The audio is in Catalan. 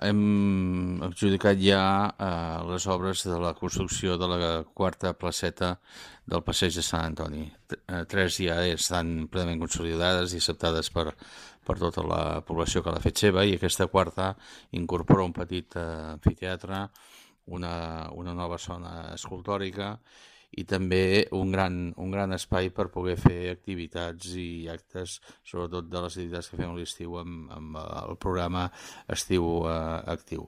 hem adjudicat ja les obres de la construcció de la quarta placeta del passeig de Sant Antoni. 3 ja estan plenament consolidades i acceptades per tota la població que l'ha fet seva, i aquesta quarta incorpora un petit amfiteatre, una nova zona escultòrica i també un gran espai per poder fer activitats i actes, sobretot de les activitats que fem a l'estiu amb el programa Estiu Actiu.